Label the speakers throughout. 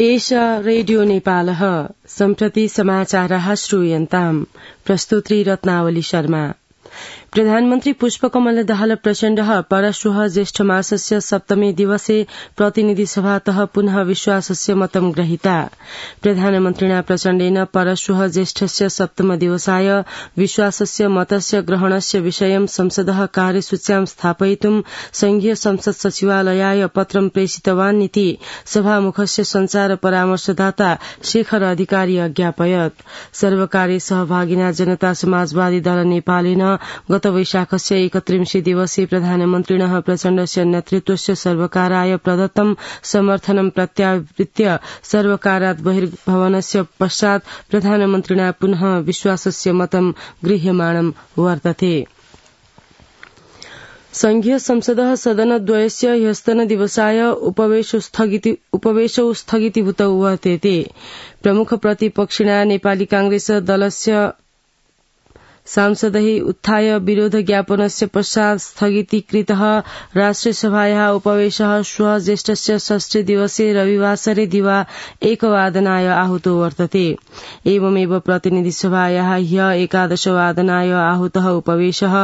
Speaker 1: एषा रेडियो नेपालः सम्प्रति समाचारः श्रूयन्ताम्। प्रस्तुत्री रत्नावली शर्मा। प्रधानमन्त्री पुष्पकमल दाहाल प्रचण्डः परश्वः ज्येष्ठमासस्य सप्तमे दिवसे प्रतिनिधि सभातः पुनः विश्वासस्य मतं ग्रहीता। प्रधानमन्त्रिणा प्रचण्डेन परश्वः ज्येष्ठस्य सप्तम दिवसाय विश्वासस्य मतस्य ग्रहणस्य विषयं संसदः कार्यसूच्यां स्थापयितुं संघीय संसद सचिवालयाय पत्रं प्रेषितवानिति सभामुखस्य संचार परामर्शदाता शेखर अधिकारी अज्ञापयत्। सर्वकारीय सहभागिना जनता समाजवादी दल नेपालेन गत वैशाखस्य 31 दिवसे प्रधानमन्त्रिणः प्रचण्डस्य नेतृत्वस्य सर्वकाराय प्रदत्तं समर्थनं प्रत्यावृत्य सर्वकारात् बहिर्गमनस्य पश्चात् प्रधानमन्त्रिणा पुनः विश्वासस्य मतं गृह्यमाणं वर्तते। संघीय संसदः सदनद्वयस्य ह्यस्तन दिवसाय उपवेशौ स्थगितीभूतौ वर्तेते। प्रमुख प्रतिपक्षिणा नेपाली कांग्रेस दलस्य सांसदैः उत्थाय विरोध ज्ञापनस्य पश्चात् स्थगितीकृतः राष्ट्रियसभायाः उपवेशः श्वः ज्येष्ठस्य षष्ठी दिवसे रविवासरे दिवा 1 वादनाय आहूतो वर्तते। एवमेव प्रतिनिधिसभायाः ह्य 11 वादनाय आहूतः उपवेशः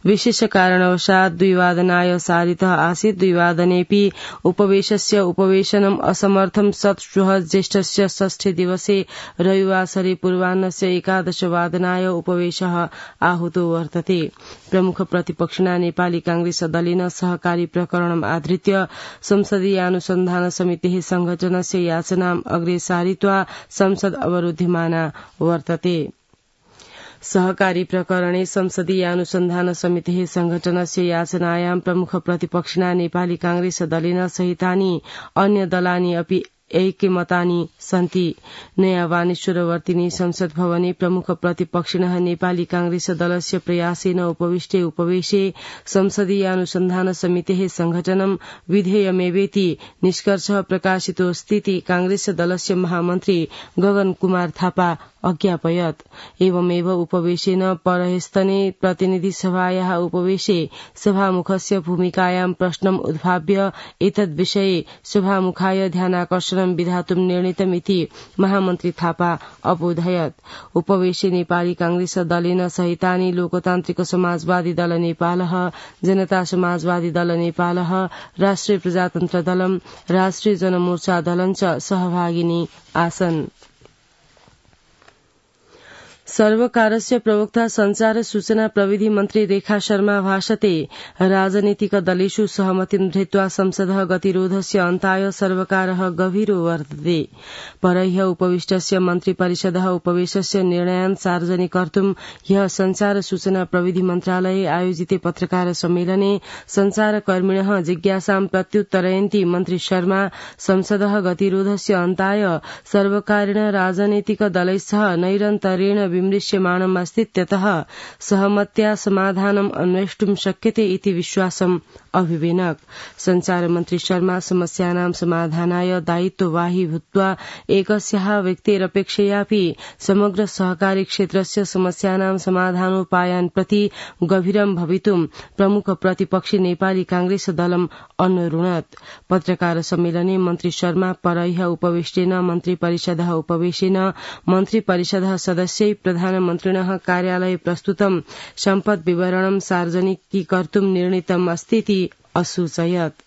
Speaker 1: विशेष कारणवशात् 2 वादनाय सारितः आसीत्। 2 वादनेऽपि उपवेशस्य उपवेशनम् असमर्थं सत् श्वः ज्येष्ठस्य षष्ठी दिवसे रविवासरे पूर्वाह्नस्य 11 वादनाय उपवेशः आहूतो वर्तते। प्रमुख प्रतिपक्षिणा नेपाली कांग्रेस दलेन सहकारी प्रकरणम् आधृत्य संसदीयानुसन्धान समितेः संघटनस्य याचनाम् अग्रे सारित्वा संसद अवरुध्यमाना वर्तते। सहकारी प्रकरणे संसदीयानुसन्धान समितेः संघटनस्य याचनायां प्रमुख प्रतिपक्षिणा नेपाली कांग्रेस दलेन सहितानि अन्य दलानि अपि ऐक्यमतानि सन्ति। नयाँ वाणेश्वरवर्तिनी संसद भवने प्रमुख प्रतिपक्षिणः नेपाली कांग्रेस दलस्य प्रयासेन उपविष्टे उपवेशे संसदीयानुसन्धान समितेः संघटनं विधेयमेवेति निष्कर्षः प्रकाशितोऽस्तीति कांग्रेस दलस्य महामन्त्री गगन कुमार थापा अज्ञापयत्। एवमेव उपवेशेन परह्यस्तने प्रतिनिधि सभायाः उपवेशे सभामुखस्य भूमिकायां प्रश्नम् उद्भाव्य एतद्विषये सभामुखाय ध्यानाकर्षणं विधातुं निर्णीतमिति महामन्त्री थापा अबोधयत्। उपवेशे नेपाली कांग्रेस दलेन सहितानि लोकतान्त्रिक समाजवादी दल नेपालः, जनता समाजवादी दल नेपालः, राष्ट्रिय प्रजातन्त्र दलम्, राष्ट्रिय जनमोर्चा दलं च सहभागिनी आसन्। सर्वकारस्य प्रवक्ता संचार सूचना प्रविधि मन्त्री रेखा शर्मा भाषते राजनीतिक दलेषु सहमतिं धृत्वा संसदः गतिरोधस्य अन्ताय सर्वकारः गभीरो वर्तते। परह्य उपविष्टस्य मन्त्री परिषदः उपवेशस्य निर्णयान् सार्वजनिक कर्तुं ह्यः संचार सूचना प्रविधि मन्त्रालये आयोजिते पत्रकार सम्मेलने संचारकर्मिणः जिज्ञासां प्रत्युत्तरयन्ती मन्त्री शर्मा संसदः गतिरोधस्य अन्ताय सर्वकारेण राजनैतिक दलैस्सह नैरन्तर्येण विमृश्यमाणम् अस्तीत्यतः सहमत्या समाधानम् अन्वेष्टुं शक्यते इति विश्वासम् अभिवेनक। संचार मन्त्री शर्मा समस्यानां समाधानाय दायित्ववाही भूत्वा एकस्याः व्यक्तेरपेक्षयापि समग्र सहकारी क्षेत्रस्य समस्यानां समाधानोपायान् प्रति गभीरं भवितुं प्रमुख प्रतिपक्षी नेपाली कांग्रेस दलम् अनुरुणत्। पत्रकार सम्मेलने मन्त्री शर्मा परह्य उपवेशेन मन्त्री परिषदः उपवेशेन मन्त्री परिषदः सदस्यै प्रधानमन्त्रिणः कार्यालये प्रस्तुतं सम्पद विवरणं सार्वजनिकीकर्तुं निर्णीतम् अस्तीति असूचयत्।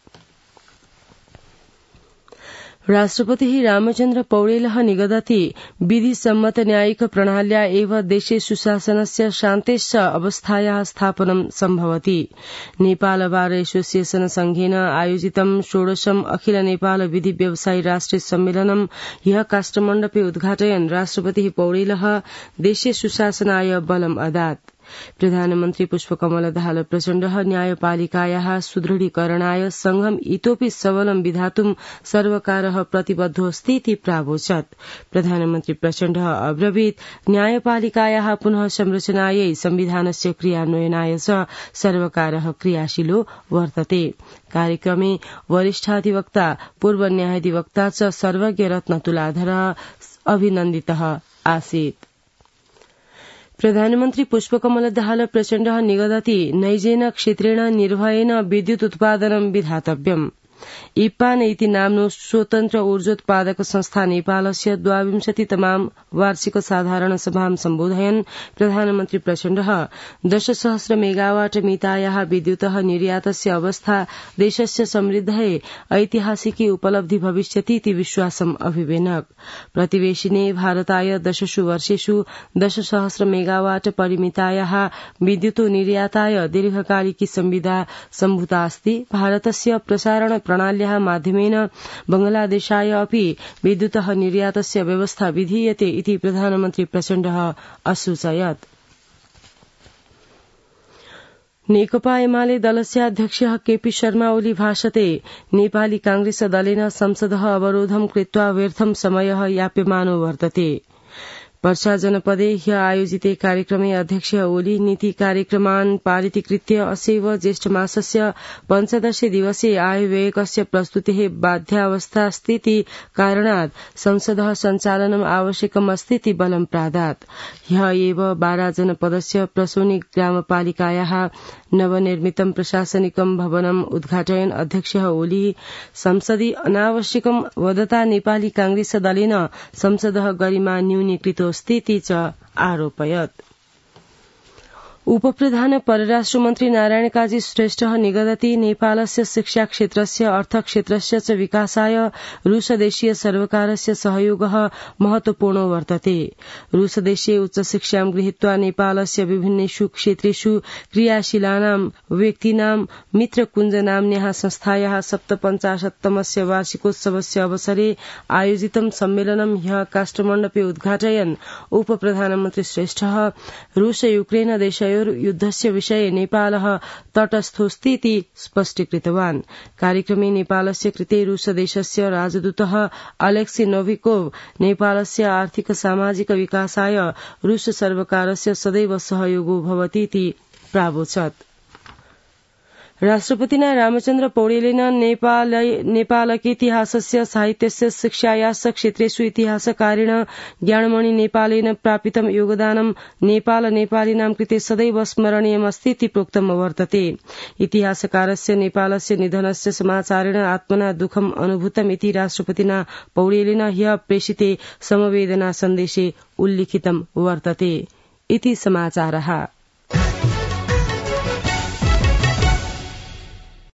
Speaker 1: राष्ट्रपतिः रामचन्द्र पौडेलः निगदति विधिसम्मत न्यायिक प्रणाल्या एव देशे सुशासनस्य शान्तेश्च अवस्थायाः स्थापनं सम्भवति। नेपाल बार एसोसिएशन संघेन आयोजितं 16 अखिल नेपाल विधि व्यवसायी राष्ट्रिय सम्मेलनं ह्यः काष्ठमण्डपे उद्घाटयन् राष्ट्रपतिः पौडेलः देशे सुशासनाय बलम् अदात्। प्रधानमन्त्री पुष्पकमल दाहाल प्रचण्डः न्यायपालिकायाः सुदृढीकरणाय संघम् इतोपि सबलं विधातुं सर्वकारः प्रतिबद्धोऽस्तीति प्रावोचत्। प्रधानमन्त्री प्रचण्डः अब्रवीत् न्यायपालिकायाः पुनः संरचनायै संविधानस्य क्रियान्वयनाय च सर्वकारः क्रियाशीलो वर्तते। कार्यक्रमे वरिष्ठाधिवक्ता पूर्व न्यायाधिवक्ता च सर्वज्ञ रत्न तुलाधरः अभिनन्दितः आसीत्। प्रधानमन्त्री पुष्पकमल दाहाल प्रचण्डः निगदति नैजेन क्षेत्रेण निर्भयेन विद्युत् उत्पादनं विधातव्यम्। इप्पान इति नाम्नो स्वतन्त्र ऊर्जोत्पादक संस्था नेपालस्य 22तमां वार्षिक साधारण सभां सम्बोधयन् प्रधानमन्त्री प्रचण्डः 10,000 मेगावाट मितायाः विद्युतः निर्यातस्य अवस्था देशस्य समृद्धये ऐतिहासिकी उपलब्धि भविष्यति इति विश्वासम् अभिवेनक। प्रतिवेशिने भारताय 10 वर्षेषु 10,000 मेगावाट परिमितायाः विद्युतो निर्याताय दीर्घकालिकी संविदा सम्भूता अस्ति। भारतस्य प्रसारण प्रणाल्याः माध्यमेन बंगलादेशाय अपि विद्युतः निर्यातस्य व्यवस्था विधीयते इति प्रधानमन्त्री प्रचण्डः असूचयत्। नेकपा एमाले दलस्य अध्यक्षः केपी शर्मा ओली भाषते नेपाली कांग्रेस दलेन संसदः अवरोधं कृत्वा व्यर्थं समयः याप्यमानो वर्तते। पर्सा जनपदे ह्य आयोजिते कार्यक्रमे अध्यक्ष ओली नीति कार्यक्रमान् पारितीकृत्य असैव ज्येष्ठमासस्य 15 दिवसे आयव्ययकस्य प्रस्तुतेः बाध्यावस्थास्तीति कारणात् संसदः सञ्चालनम् आवश्यकम् अस्तीति बलं प्रादात्। ह्य एव बारा जनपदस्य प्रसोनी ग्रामपालिकायाः नवनिर्मितं प्रशासनिकं भवनम् उद्घाटयन् अध्यक्ष ओली संसदि अनावश्यकं वदता नेपाली कांग्रेस दलेन संसदः गरिमा न्यूनीकृतोऽस्तीति च आरोपयत्। उपप्रधान परराष्ट्रमन्त्री नारायण काजी श्रेष्ठः निगदति नेपालस्य शिक्षाक्षेत्रस्य अर्थक्षेत्रस्य च विकासाय रूसदेशीय सर्वकारस्य सहयोगः महत्वपूर्णो वर्तते। रूसदेशीय उच्चशिक्षां गृहीत्वा नेपालस्य विभिन्नेषु क्षेत्रेषु क्रियाशीलानां व्यक्तीनां मित्रकुञ्ज नाम्न्याः संस्थायाः 57तमस्य वार्षिकोत्सवस्य अवसरे आयोजितं सम्मेलनं ह्यः काष्ठमण्डपे उद्घाटयन् उपप्रधानमन्त्री श्रेष्ठः रूस यूक्रेन देशयोः युद्धस्य विषये नेपालः तटस्थोऽस्तीति स्पष्टीकृतवान्। कार्यक्रमे नेपालस्य कृते रूसदेशस्य राजदूतः अलेक्सी नोविकोव नेपालस्य आर्थिक सामाजिक विकासाय रूस सर्वकारस्य सदैव सहयोगो भवतीति प्रावोचत्। राष्ट्रपतिना रामचन्द्र पौडेलेन नेपालकेतिहासस्य साहित्यस्य शिक्षायाश्च क्षेत्रेषु इतिहासकारेण ज्ञानमणि नेपालेन प्रापितं योगदानं नेपाल नेपालिनां कृते सदैव स्मरणीयमस्तीति प्रोक्तम् वर्तते। इतिहासकारस्य नेपालस्य निधनस्य समाचारेण आत्मना दुःखम् अनुभूतमिति राष्ट्रपतिना पौडेलेन ह्यः प्रेषिते समवेदना सन्देशे उल्लिखितं वर्तते। इति समाचारः।